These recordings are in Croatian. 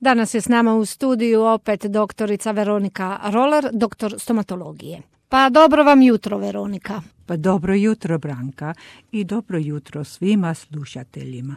Danas je s nama u studiju opet doktorica Veronika Roller, doktor stomatologije. Pa dobro vam jutro, Veronika. Pa dobro jutro, Branka, i dobro jutro svima slušateljima.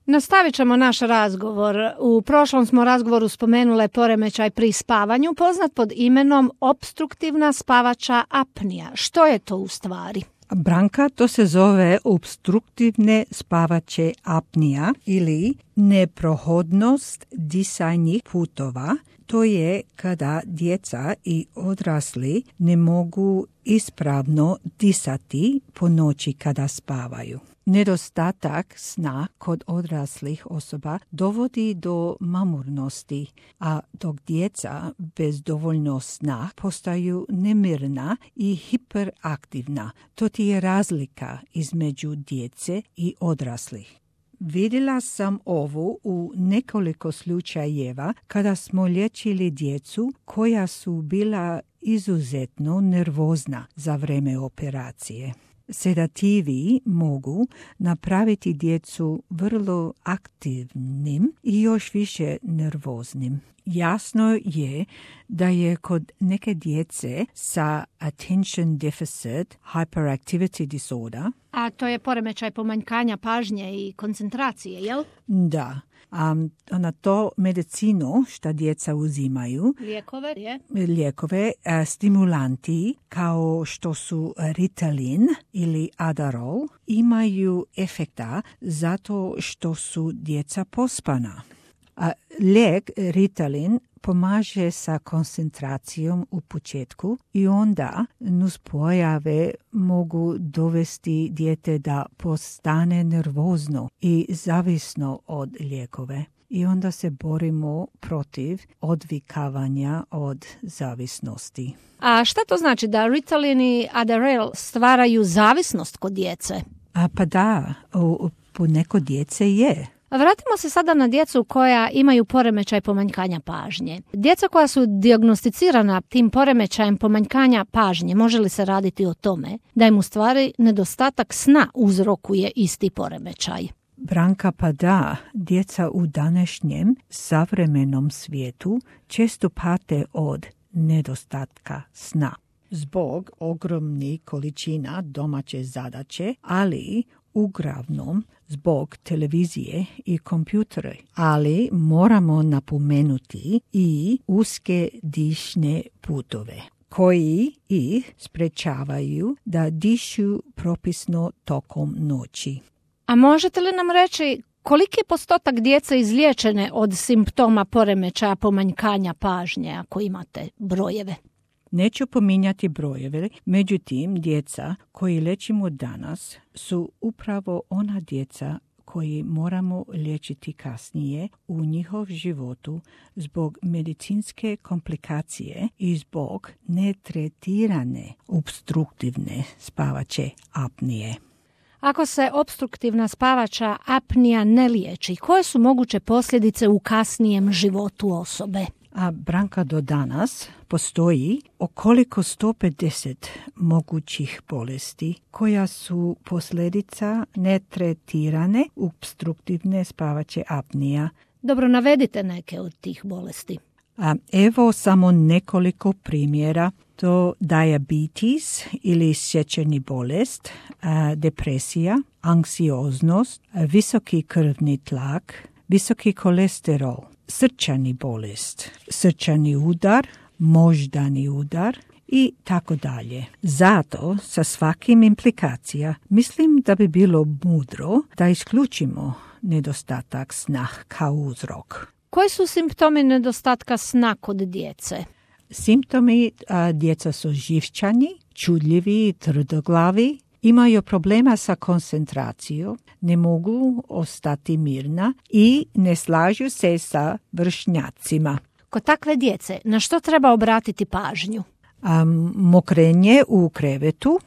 Nastavit ćemo naš razgovor. U prošlom smo razgovoru spomenule poremećaj pri spavanju, poznat pod imenom opstruktivna spavača apnija. Što je to u stvari? Branka, to se zove opstruktivne spavače apnija ili neprohodnost disajnih putova. To je kada djeca i odrasli ne mogu ispravno disati po noći kada spavaju. Nedostatak sna kod odraslih osoba dovodi do mamurnosti, a dok djeca bez dovoljno sna postaju nemirna i hiperaktivna. To ti je razlika između djece i odraslih. Vidjela sam ovo u nekoliko slučajeva kada smo liječili djecu koja su bila izuzetno nervozna za vrijeme operacije. Sedativi mogu napraviti djecu vrlo aktivnim i još više nervoznim. Jasno je da je kod neke djece sa attention deficit hyperactivity disorder, A to je poremećaj pomanjkanja pažnje i koncentracije, jel? Da. Na to medicinu što djeca uzimaju, lijekove, stimulanti kao što su Ritalin ili Adderall imaju efekta zato što su djeca pospana. Lijek Ritalin pomaže sa koncentracijom u početku i onda nuspojave mogu dovesti dijete da postane nervozno i zavisno od lijekove. I onda se borimo protiv odvikavanja od zavisnosti. A šta to znači da Ritalin i Adderall stvaraju zavisnost kod djece? Pa da, po neko djece je. Vratimo se sada na djecu koja imaju poremećaj pomanjkanja pažnje. Djeca koja su dijagnosticirana tim poremećajem pomanjkanja pažnje, može li se raditi o tome da im u stvari nedostatak sna uzrokuje isti poremećaj? Branka, pa da, djeca u današnjem savremenom svijetu često pate od nedostatka sna. Zbog ogromnih količina domaće zadaće, ali uglavnom zbog televizije i kompjutora. Ali moramo napomenuti i uske dišne putove koji ih sprečavaju da dišu propisno tokom noći. A možete li nam reći koliki je postotak djece izliječene od simptoma poremećaja pomanjkanja pažnje, ako imate brojeve? Neću pominjati brojeve, međutim, djeca koji liječimo danas su upravo ona djeca koji moramo liječiti kasnije u njihov životu zbog medicinske komplikacije i zbog netretirane opstruktivne spavače apnije. Ako se opstruktivna spavača apnija ne liječi, koje su moguće posljedice u kasnijem životu osobe? A Branka, do danas postoji okoliko 150 mogućih bolesti koja su posljedica netretirane opstruktivne spavače apnija. Dobro, navedite neke od tih bolesti. Evo samo nekoliko primjera. To diabetes ili šećerni bolest, depresija, anksioznost, visoki krvni tlak, visoki kolesterol, srčani bolest, srčani udar, moždani udar i tako dalje. Zato sa svakim implikacija mislim da bi bilo mudro da isključimo nedostatak sna kao uzrok. Koji su simptomi nedostatka sna kod djece? Simptomi djeca su živčani, čudljivi, tvrdoglavi, imaju problema sa koncentracijom, ne mogu ostati mirna i ne slažu se sa vršnjacima. Kod takve djece na što treba obratiti pažnju? Mokrenje u krevetu,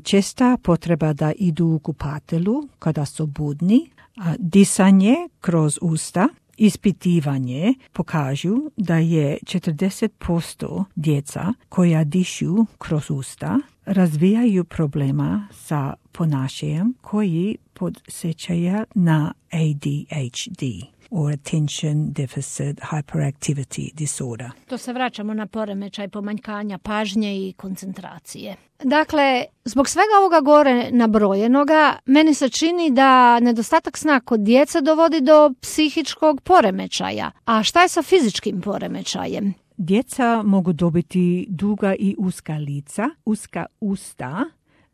česta potreba da idu u kupatelu kada su budni, disanje kroz usta. Ispitivanje pokažu da je 40% djeca koja dišu kroz usta razvijaju problema sa ponašanjem koji podsjećaju na ADHD. or attention deficit hyperactivity disorder. To se vraćamo na poremećaj pomanjkanja pažnje i koncentracije. Dakle, zbog svega ovoga gore nabrojenoga, meni se čini da nedostatak sna kod djece dovodi do psihičkog poremećaja. A šta je sa fizičkim poremećajem? Djeca mogu dobiti duga i uska lica, uska usta,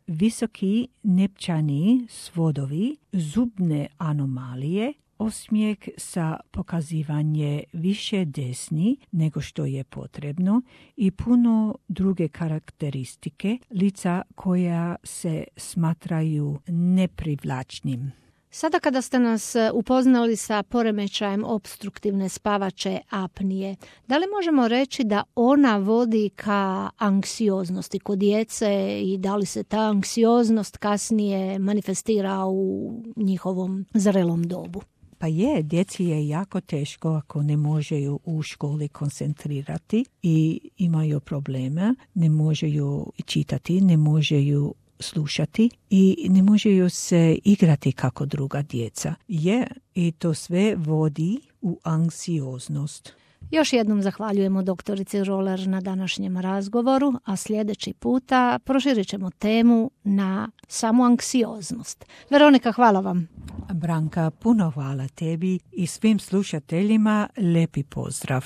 visoki nepčani svodovi, zubne anomalije, osmijeh sa pokazivanje više desni nego što je potrebno i puno druge karakteristike lica koja se smatraju neprivlačnim. Sada kada ste nas upoznali sa poremećajem opstruktivne spavače apnije, da li možemo reći da ona vodi ka anksioznosti kod djece i da li se ta anksioznost kasnije manifestira u njihovom zrelom dobu? Pa djeci je jako teško ako ne možeju u školi koncentrirati i imaju probleme, ne možeju čitati, ne možeju slušati i ne možeju se igrati kako druga djeca. I to sve vodi u anksioznost. Još jednom zahvaljujemo doktorici Roller na današnjem razgovoru, a sljedeći puta proširit ćemo temu na samu anksioznost. Veronika, hvala vam. Branka, puno hvala tebi i svim slušateljima, lepi pozdrav.